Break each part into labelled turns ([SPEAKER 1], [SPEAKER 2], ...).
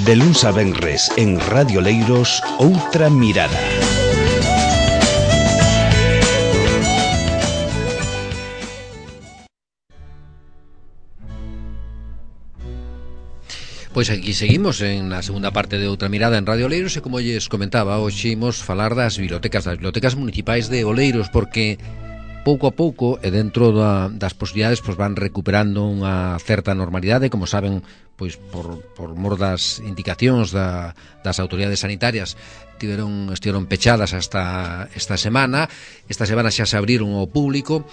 [SPEAKER 1] De luns a venres en Radio Leiros, Outra Mirada.
[SPEAKER 2] Pois aquí seguimos na segunda parte de Outra Mirada en Radio Oleiros e como lles comentaba, hoxe imos falar das bibliotecas municipais de Oleiros, porque pouco a pouco e dentro das posibilidades pois van recuperando unha certa normalidade, como saben, pois por mor das indicacións das autoridades sanitarias estiveron pechadas hasta esta semana. Esta semana xa se abriron ao público,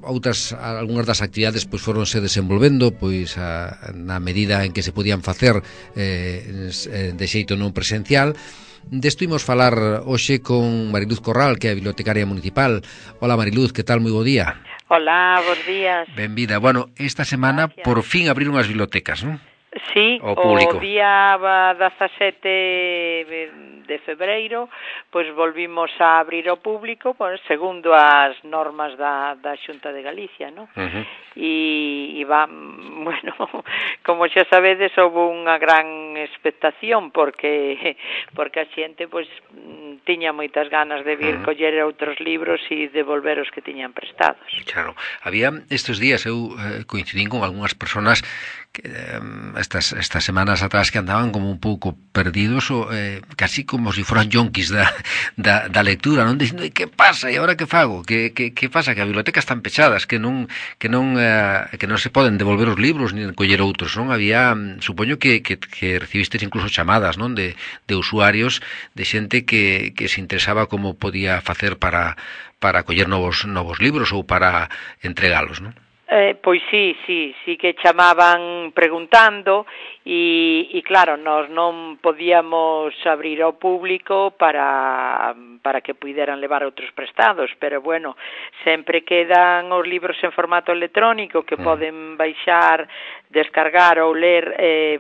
[SPEAKER 2] algunhas das actividades pois foronse desenvolvendo pois na medida en que se podían facer de xeito non presencial. Desto imos falar hoxe con Mariluz Corral, que é a bibliotecaria municipal. Hola Mariluz, que tal? Moi bo día.
[SPEAKER 3] Hola, bons días.
[SPEAKER 2] Benvida. Bueno, esta semana gracias. Por fin abriron as bibliotecas, non?
[SPEAKER 3] Sí, o día 17 de febreiro, pois volvimos a abrir ao público, pois, segundo as normas da Xunta de Galicia, non? E bueno, como xa sabedes, houve unha gran expectación porque a xente pois tiña moitas ganas de vir coller outros libros e devolver os que tiñan prestados.
[SPEAKER 2] Claro, había estes días eu coincidín con algunhas persoas que estas semanas atrás que andaban como un pouco perdidos ou casi como se foran yonquis da lectura, non dicindo, que pasa, e agora que fago? Que pasa? Que as bibliotecas están pechadas, que non se poden devolver os libros nin coller outros, non? Había, supoño que recibistes incluso chamadas, non? De usuarios, de xente que se interesaba como podía facer para coller novos libros ou para entregalos, non?
[SPEAKER 3] Pois sí que chamaban preguntando e claro, nós non podíamos abrir ao público para que puideran levar outros prestados, pero bueno, sempre quedan os libros en formato electrónico que poden baixar, descargar ou ler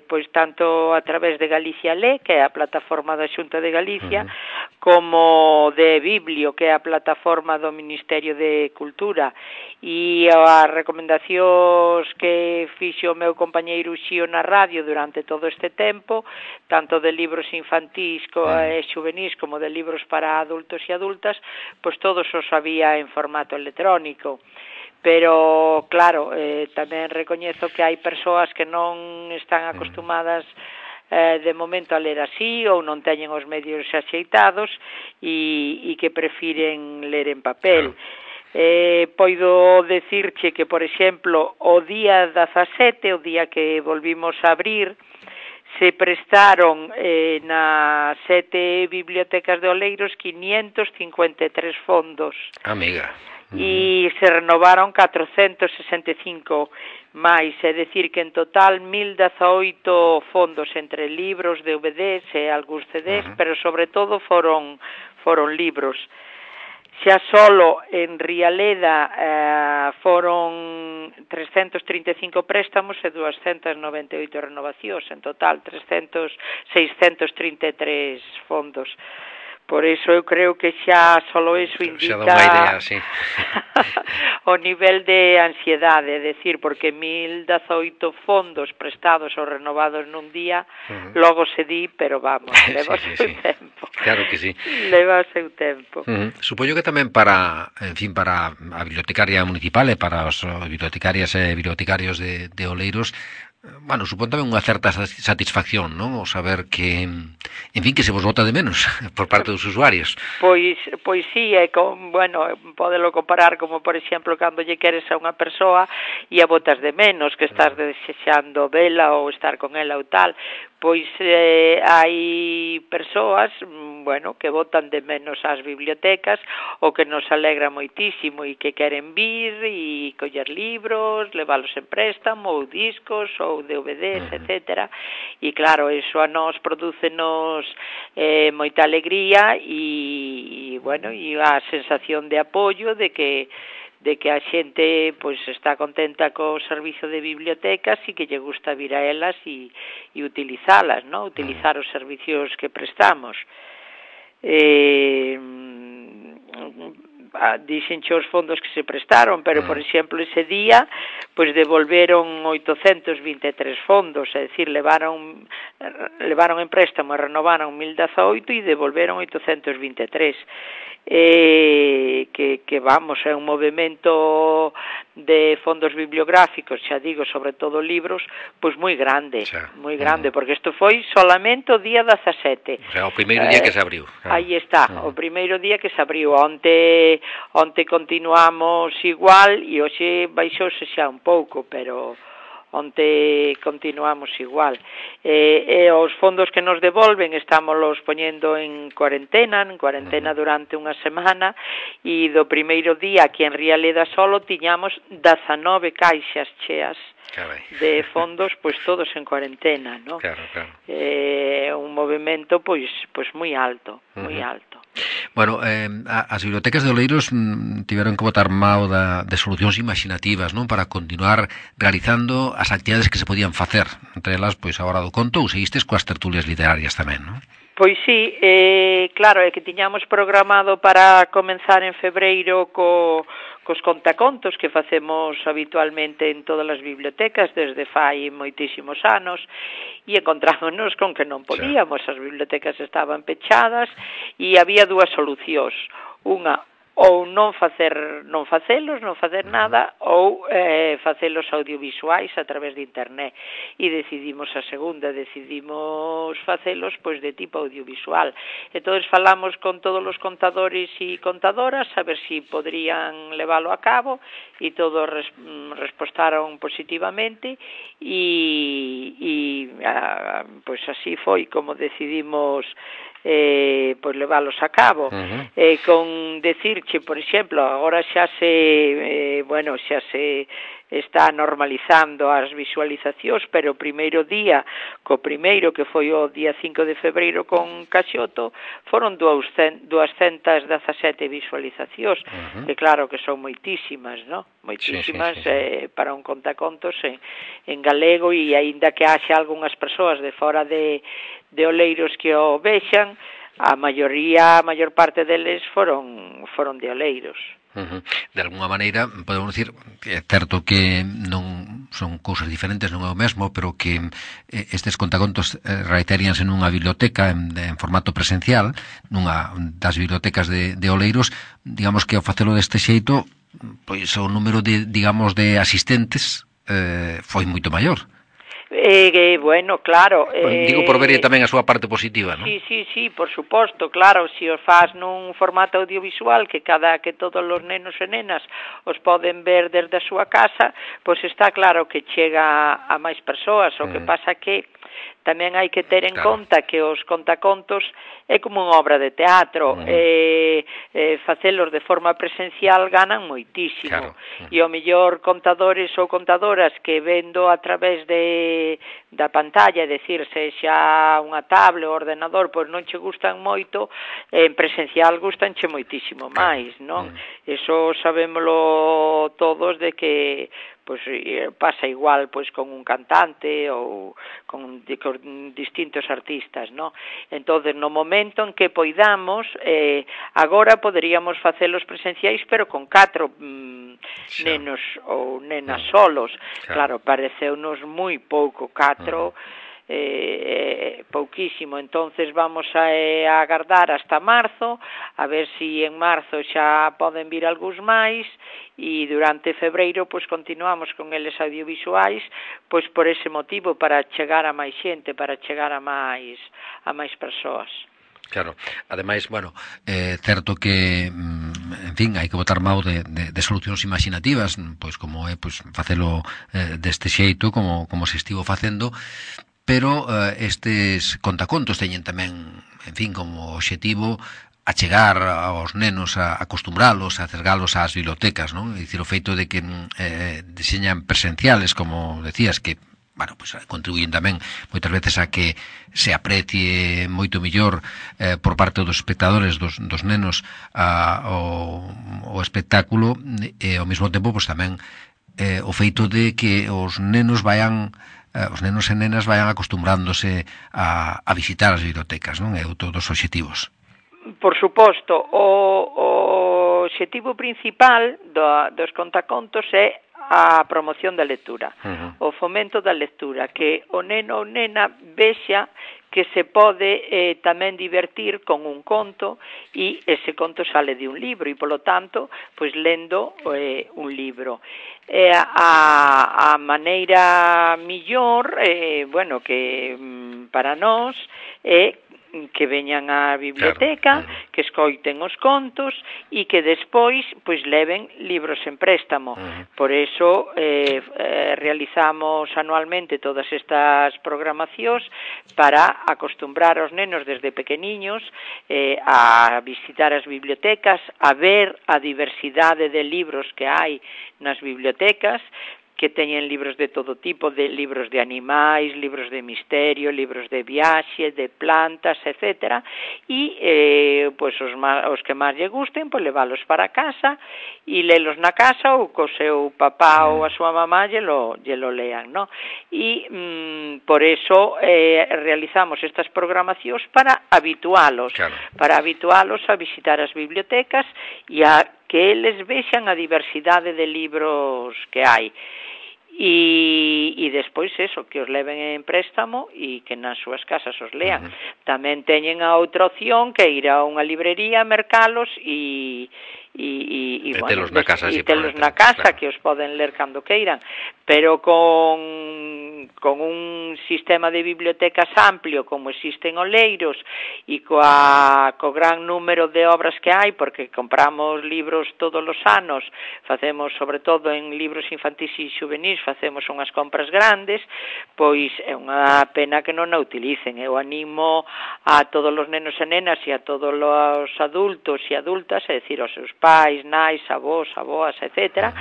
[SPEAKER 3] pois tanto a través de Galicia Lé, que é a plataforma da Xunta de Galicia, como de Biblio, que é a plataforma do Ministerio de Cultura. E as recomendacións que fixo o meu compañeiro Xío na radio durante todo este tempo, tanto de libros infantís e xuvenís como de libros para adultos e adultas, pois todos os había en formato electrónico. Pero, claro, tamén recoñezo que hai persoas que non están acostumadas de momento a ler así ou non teñen os medios axeitados e que prefiren ler en papel. Poido decirche que, por exemplo, o día 17, o día que volvimos a abrir, se prestaron nas 7 bibliotecas de Oleiros 553 fondos.
[SPEAKER 2] Amiga.
[SPEAKER 3] E se renovaron 465 máis, é dicir que en total 1018 fondos entre libros, DVDs e algúns CDs, pero sobre todo foron libros. Xa solo en Rialeda foron 335 préstamos e 298 renovacións, en total 633 fondos. Por iso eu creo que xa solo iso indica
[SPEAKER 2] xa dá unha idea, sí.
[SPEAKER 3] o nivel de ansiedade, é dicir, porque 1018 fondos prestados ou renovados nun día, logo se di, pero vamos, leva o seu tempo.
[SPEAKER 2] Claro que sí.
[SPEAKER 3] Leva o seu tempo.
[SPEAKER 2] Supoño que tamén para a bibliotecaria municipal e para os bibliotecarias e bibliotecarios de Oleiros, bueno, supón tamén unha certa satisfacción, non? O saber que, en fin, que se vos vota de menos por parte dos usuarios.
[SPEAKER 3] Pois sí, bueno, podelo comparar como, por exemplo, cando lle queres a unha persoa e a botas de menos, que estás desexando vela ou estar con ela ou tal. Pois hai persoas, bueno, que botan de menos as bibliotecas ou que nos alegra moitísimo e que queren vir e coller libros, leválos en préstamo ou discos ou DVDs, etcétera. E claro, iso a nós prodúcenos moita alegría e bueno, e a sensación de apoio de que a xente pois está contenta co servizo de bibliotecas e que lle gusta vir a elas e utilizalas, non? Utilizar os servicios que prestamos. dixenche os fondos que se prestaron, pero, por exemplo, ese día, pois devolveron 823 fondos, é dicir, levaron en préstamo e renovaron 1018 e devolveron 823. Que vamos, é un movimento de fondos bibliográficos, xa digo, sobre todo libros, pois moi grande, porque isto foi solamente o día 17.
[SPEAKER 2] O sea, o primeiro día que se abriu.
[SPEAKER 3] Aí está, o primeiro día que se abriu. Onte continuamos igual e hoxe baixouse xa un pouco, pero onte continuamos igual. Os fondos que nos devolven estámoslos poñendo en cuarentena durante unha semana, e do primeiro día aquí en Rialeda solo tiñamos 19 caixas cheas de fondos, pois todos en cuarentena, ¿no?
[SPEAKER 2] Claro.
[SPEAKER 3] Un movimento pois moi alto, moi alto.
[SPEAKER 2] Bueno, as bibliotecas de Oleiros tiveron que botar mao de solucións imaginativas, non, para continuar realizando as actividades que se podían facer, entre elas, pois, a hora do conto, ou seguistes coas tertulias literarias tamén, non?
[SPEAKER 3] Pois sí, claro, é que tiñamos programado para comenzar en febreiro cos contacontos que facemos habitualmente en todas as bibliotecas desde fai moitísimos anos, e encontrámonos con que non podíamos, as bibliotecas estaban pechadas e había dúas solucións. Unha, ou non facer nada, ou facelos audiovisuais a través de internet, e decidimos a segunda, decidimos facelos pois de tipo audiovisual. Entonces falamos con todos os contadores e contadoras a ver si podrían leválo a cabo, e todos respostaron positivamente, e pois así foi como decidimos pois leválos a cabo. Con decirche, por exemplo, agora xa se está normalizando as visualizacións, pero o primeiro día, primeiro que foi o día 5 de febreiro con Caxoto, foron 217 visualizacións, que claro que son moitísimas, non? Moitísimas para un contacontos en galego, e aínda que haxa algunhas persoas de fora de Oleiros que o vexan, a maior parte deles foron de Oleiros.
[SPEAKER 2] De alguna maneira, podemos dicir que é certo que non son cousas diferentes, non é o mesmo, pero que estes contacontos reiteríanse nunha biblioteca en formato presencial, nunha das bibliotecas de Oleiros. Digamos que ao facelo deste xeito, pois o número de asistentes foi moito maior.
[SPEAKER 3] Bueno, claro.
[SPEAKER 2] Digo por ver tamén a súa parte positiva, non?
[SPEAKER 3] Sí, por suposto, claro, se os faz nun formato audiovisual que todos os nenos e nenas os poden ver desde a súa casa, pois está claro que chega a máis persoas. O que pasa que tamén hai que ter en conta que os contacontos é como unha obra de teatro, facelos de forma presencial ganan moitísimo, e o mellor contadores ou contadoras que vendo a través da pantalla, é dicir, sexa unha tablet ou ordenador, pois non che gustan moito, en presencial gustanche moitísimo máis, non? Eso sabémolo todos, de que pois pasa igual pois con un cantante ou con distintos artistas, non? Entonces, no momento en que poidamos, agora poderíamos facelos presenciais, pero con 4 nenos ou nenas solos. Claro, pareceunos moi pouco, 4 pouquísimo. Entonces vamos a agardar hasta marzo, a ver si en marzo xa poden vir algúns máis, e durante febreiro pois continuamos con eles audiovisuais, pois por ese motivo, para chegar a máis xente, para chegar a máis persoas.
[SPEAKER 2] Claro, ademais, bueno, certo que, en fin, hai que botar mao de solucións imaginativas, pois como é pois facelo deste xeito, como se estivo facendo, pero estes contacontos teñen tamén, en fin, como obxectivo achegar aos nenos, a acostumbralos, a acergalos ás bibliotecas, non? É dicir, o feito de que deseñan presenciales, como decías, que bueno, pues contribuyen tamén moitas veces a que se aprecie moito mellor por parte dos espectadores, dos nenos, o espectáculo, e ao mesmo tempo pues tamén o feito de que os nenos e nenas vayan acostumbrándose a visitar as bibliotecas, non? É outro dos obxectivos.
[SPEAKER 3] Por suposto, o obxectivo principal dos contacontos é a promoción da lectura, o fomento da lectura, que o neno ou nena vexa que se pode tamén divertir con un conto e ese conto sale de un libro e, polo tanto, pois lendo un libro. A maneira millor, bueno, que para nós é que veñan á biblioteca, claro, que escoiten os contos e que despois pois leven libros en préstamo. Por eso realizamos anualmente todas estas programacións para acostumbrar aos nenos desde pequeniños a visitar as bibliotecas, a ver a diversidade de libros que hai nas bibliotecas, que teñen libros de todo tipo, de libros de animais, libros de misterio, libros de viaxe, de plantas, etc. E pois os que máis lle gusten, pois leválos para casa e lelos na casa ou co seu papá ou a súa mamá lle lo lean, no? E por eso realizamos estas programacións para habitualos, claro, para habitualos a visitar as bibliotecas e a que eles vexan a diversidade de libros que hai. E despois eso, que os leven en préstamo e que nas súas casas os lean. Tamén teñen a outra opción que ir a unha librería, mercalos e
[SPEAKER 2] telos na casa,
[SPEAKER 3] claro, que os poden ler cando queiran, pero con un sistema de bibliotecas amplio como existen Oleiros e co gran número de obras que hai, porque compramos libros todos os anos, facemos sobre todo en libros infantis e xuvenis, facemos unhas compras grandes, pois é unha pena que non a utilicen. Eu animo a todos os nenos e nenas e a todos os adultos e adultas, é dicir, aos seus pais, nais, avós, aboas, etc.,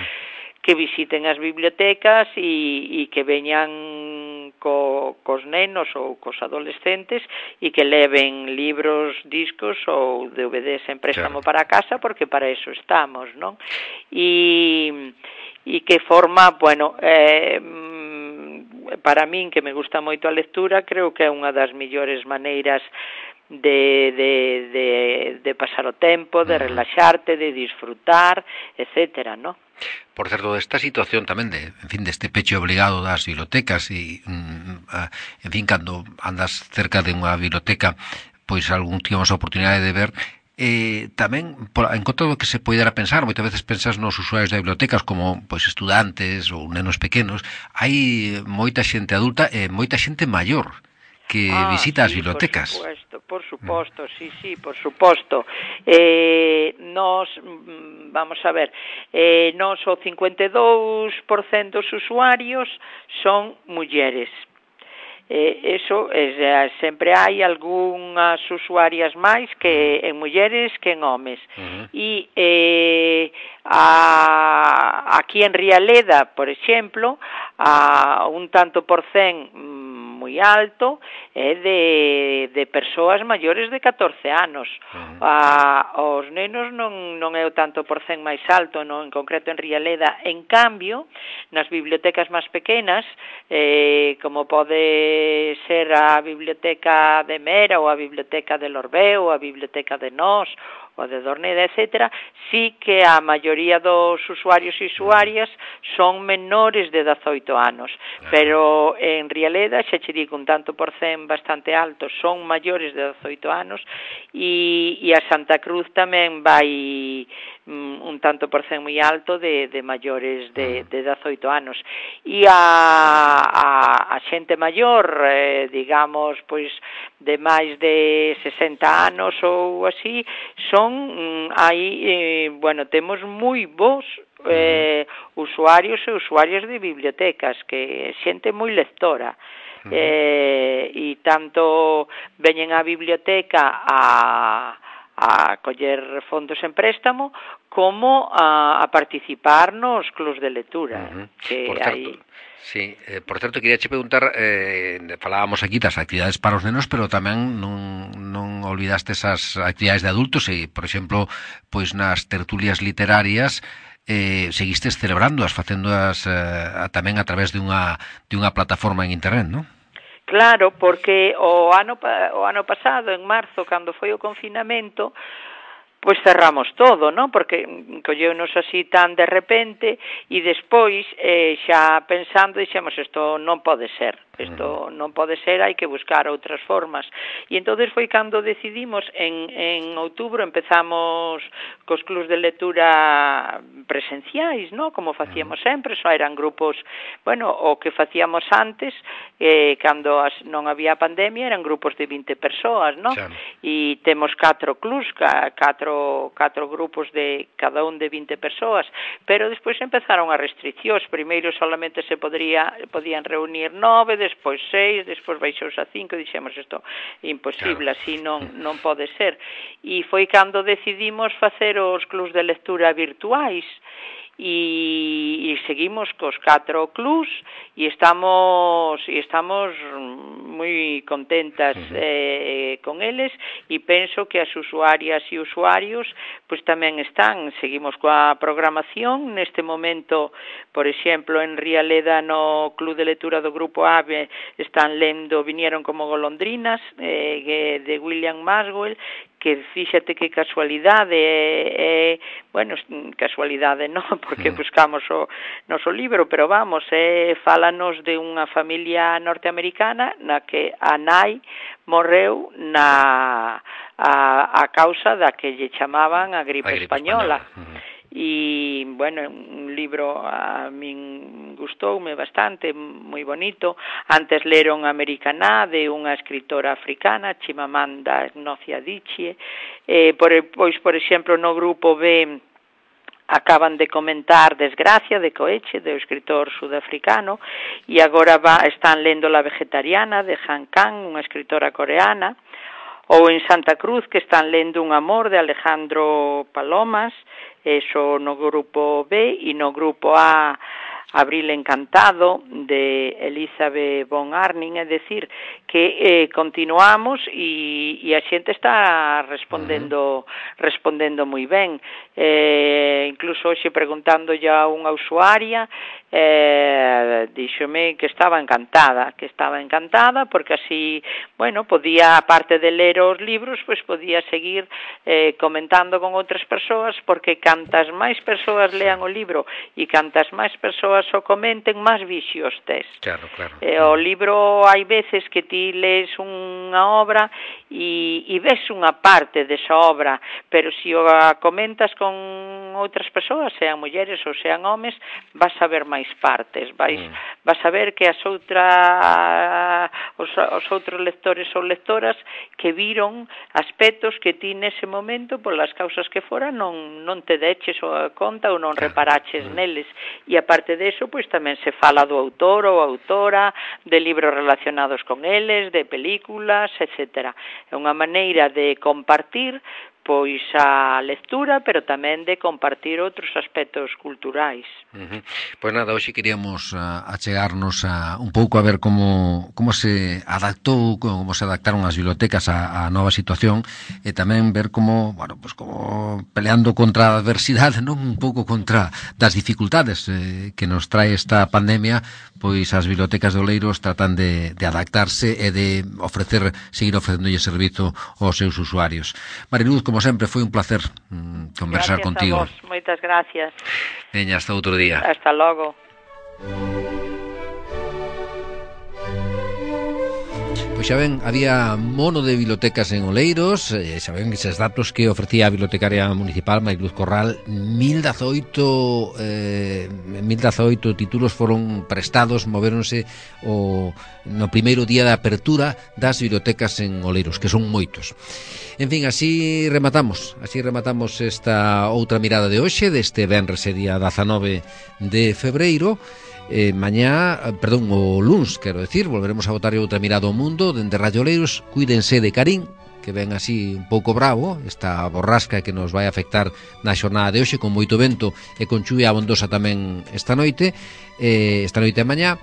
[SPEAKER 3] que visiten as bibliotecas e que veñan cos nenos ou cos adolescentes e que leven libros, discos ou DVDs en préstamo, claro, para casa, porque para eso estamos, non? E que forma, bueno, para min, que me gusta moito a lectura, creo que é unha das mellores maneiras de pasar o tempo, de relaxarte, de disfrutar, etcétera, ¿no?
[SPEAKER 2] Por certo, esta situación tamén deste peche obligado das bibliotecas e, en fin, cando andas cerca de unha biblioteca, pois algún tivemos a oportunidade de ver, tamén, en contra do que se poidera pensar, moitas veces pensas nos usuarios de bibliotecas como pois estudantes ou nenos pequenos, hai moita xente adulta e moita xente maior que visita as bibliotecas.
[SPEAKER 3] Por suposto, sí, por suposto. Nos, vamos a ver, nos o 52% dos usuarios son mulleres. Eso, sempre hai algunhas usuarias máis que en mulleres que en homes. E aquí en Rialeda, por exemplo, un tanto por cen moi alto é de persoas maiores de 14 anos. Os nenos non é o tanto por cen máis alto, non, en concreto en Rialeda. En cambio, nas bibliotecas máis pequenas, como pode ser a biblioteca de Mera ou a biblioteca de Lorbeo ou a biblioteca de Nós ou de Dorneda, etc., sí que a maioría dos usuarios e usuarias son menores de 18 anos, pero en Rialeda, xa che digo, un tanto por cen bastante alto, son maiores de 18 anos, e a Santa Cruz tamén vai un tanto por cen moi alto de maiores de 18 anos. E a xente maior, digamos, pois de máis de 60 anos ou así, son aí, bueno, temos moi bons usuarios e usuarias de bibliotecas, que xente moi lectora. E tanto veñen á biblioteca a coller fondos en préstamo como a participar nos clubs de lectura. Que
[SPEAKER 2] por certo, sí, por certo, queria che preguntar, falábamos aquí das actividades para os nenos, pero tamén non olvidaste esas actividades de adultos e, por exemplo, pois nas tertulias literarias seguistes celebrándoas, facéndoas tamén a través de unha plataforma en internet, non?
[SPEAKER 3] Claro, porque o ano pasado, en marzo, cando foi o confinamento, pois cerramos todo, non? Porque colleunos así tan de repente e despois, xa pensando, dixemos, isto non pode ser, hai que buscar outras formas. E entonces foi cando decidimos, en outubro empezamos cos clubs de lectura presenciais, non? Como facíamos sempre, só eran grupos, bueno, o que facíamos antes, cando non había pandemia, eran grupos de 20 persoas, non? E temos 4 clubs, 4 grupos de cada un de 20 persoas, pero despois empezaron as restriccións. Primeiro solamente se podían reunir 9, despois 6, despois baixouse a 5, dixemos isto imposible, así non pode ser. E foi cando decidimos facer os clubs de lectura virtuais, e seguimos cos 4 clubs e estamos moi contentas con eles, e penso que as usuarias e usuarios pois tamén seguimos coa programación. Neste momento, por exemplo, en Rialeda, no Club de Lectura do Grupo AVE, vinieron como golondrinas, de William Maxwell, que fíxate que casualidade, bueno, casualidade non, porque buscamos o noso libro, pero vamos, fálanos de unha familia norteamericana na que a nai morreu a causa da que lle chamaban a gripe española. E, bueno, un libro a min gustoume bastante, moi bonito. Antes leron Americaná, de unha escritora africana, Chimamanda Ngozi Adichie. Pois, por exemplo, no grupo B acaban de comentar Desgracia, de Coeche, do escritor sudafricano, e agora están lendo La vegetariana, de Han Kang, unha escritora coreana. Ou en Santa Cruz, que están lendo Un amor, de Alejandro Palomas, eso no grupo B, e no grupo A, Abril encantado, de Elizabeth von Arnim. É dicir, que continuamos e a xente está respondendo moi ben. Incluso hoxe, preguntando a unha usuaria, díxome que estaba encantada, porque así, bueno, podía, aparte de ler os libros, pois podía seguir comentando con outras persoas, porque cantas máis persoas lean o libro e cantas máis persoas o comenten, máis visios tes.
[SPEAKER 2] Claro.
[SPEAKER 3] O libro, hai veces que ti lees unha obra e ves unha parte desa obra, pero se o comentas con outras persoas, sean mulleres ou sean homes, vas a ver máis partes, vas a ver que os outros lectores ou lectoras que viron aspectos que ti nese momento, polas causas que fora, non te deches a conta ou non reparaches neles. E aparte deso, pois tamén se fala do autor ou autora, de libros relacionados con eles, de películas, etcétera. É unha maneira de compartir pois a lectura, pero tamén de compartir outros aspectos culturais.
[SPEAKER 2] Pois nada, hoxe queríamos achegarnos un pouco a ver como se adaptou, como se adaptaron as bibliotecas á nova situación, e tamén ver como, bueno, pues como peleando contra a adversidade, non, un pouco contra das dificultades que nos trae esta pandemia, pois as bibliotecas de Oleiros tratan de adaptarse e de seguir ofrecendolle servizo aos seus usuarios. Mariluz, como sempre, foi un placer conversar contigo.
[SPEAKER 3] Gracias a vos, moitas gracias.
[SPEAKER 2] Veña, hasta outro día.
[SPEAKER 3] Hasta logo.
[SPEAKER 2] Pois xa ven, había mono de bibliotecas en Oleiros, xa ven eses datos que ofrecía a bibliotecaria municipal Mariluz Corral. 1018 títulos foron prestados, movéronse no primeiro día de apertura das bibliotecas en Oleiros, que son moitos. En fin, así rematamos esta outra mirada de hoxe, deste venres e día 19 de febreiro. O luns, quero decir, volveremos a botar outra mirada ao mundo dende Radio Oleiros. Cuídense de Karim, que ven así un pouco bravo, esta borrasca que nos vai afectar na xornada de hoxe, con moito vento e con chuvia abondosa tamén esta noite e mañá.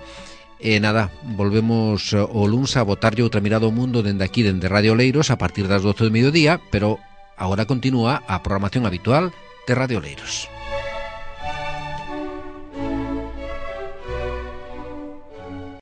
[SPEAKER 2] E nada, volvemos o luns a botarlle outra mirada ao mundo dende aquí, dende Radio Oleiros, a partir das 12 do mediodía, pero agora continúa a programación habitual de Radio Oleiros.